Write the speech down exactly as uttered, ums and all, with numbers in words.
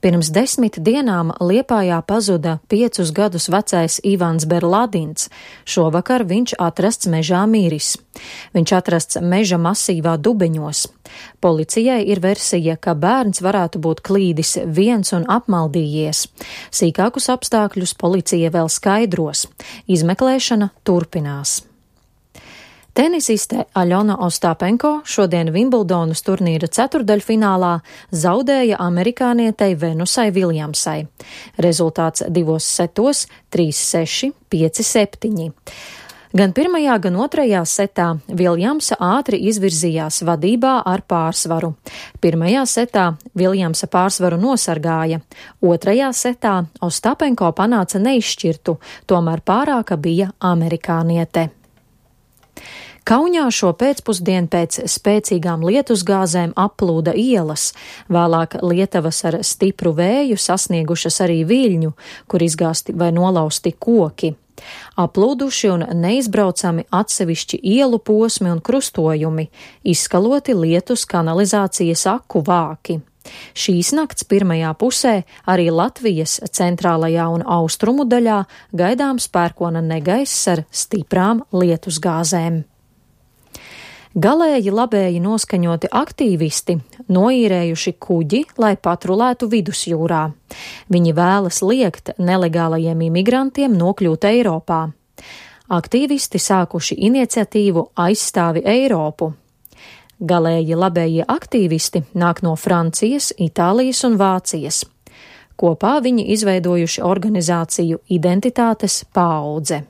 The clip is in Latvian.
Pirms desmit dienām Liepājā pazuda piecus gadus vecais Ivans Berladins. Šovakar viņš atrasts mežā miris. Viņš atrasts meža masīvā Dubeņos. Policijai ir versija, ka bērns varētu būt klīdis viens un apmaldījies. Sīkākus apstākļus policija vēl skaidros. Izmeklēšana turpinās. Tenisiste Aļona Ostāpenko šodien Vimbuldonas turnīra ceturdaļfinālā zaudēja amerikānietei Venusai Viljamsai. Rezultāts divos setos - trīs seši, pieci septiņi. Gan pirmajā, gan otrajā setā Viljamsa ātri izvirzījās vadībā ar pārsvaru. Pirmajā setā Viljamsa pārsvaru nosargāja, otrajā setā Ostāpenko panāca neizšķirtu, tomēr pārāka bija amerikāniete. Kaunijā šo pēcpusdienu pēc spēcīgām lietusgāzēm applūda ielas, vēlāk lietavas ar stipru vēju sasniegušas arī Viļņu, kur izgāsti vai nolausti koki. Aplūduši un neizbraucami atsevišķi ielu posmi un krustojumi, izskaloti lietus kanalizācijas aku vāki. Šīs nakts pirmajā pusē arī Latvijas centrālajā un austrumu daļā gaidāms pērkona negaiss ar stiprām lietusgāzēm. Galēji labēji noskaņoti aktīvisti noīrējuši kuģi, lai patrulētu vidusjūrā. Viņi vēlas liekt nelegālajiem imigrantiem nokļūt Eiropā. Aktīvisti sākuši iniciatīvu Aizstāvi Eiropu. Galēji labējie aktīvisti nāk no Francijas, Itālijas un Vācijas. Kopā viņi izveidojuši organizāciju Identitātes paudze.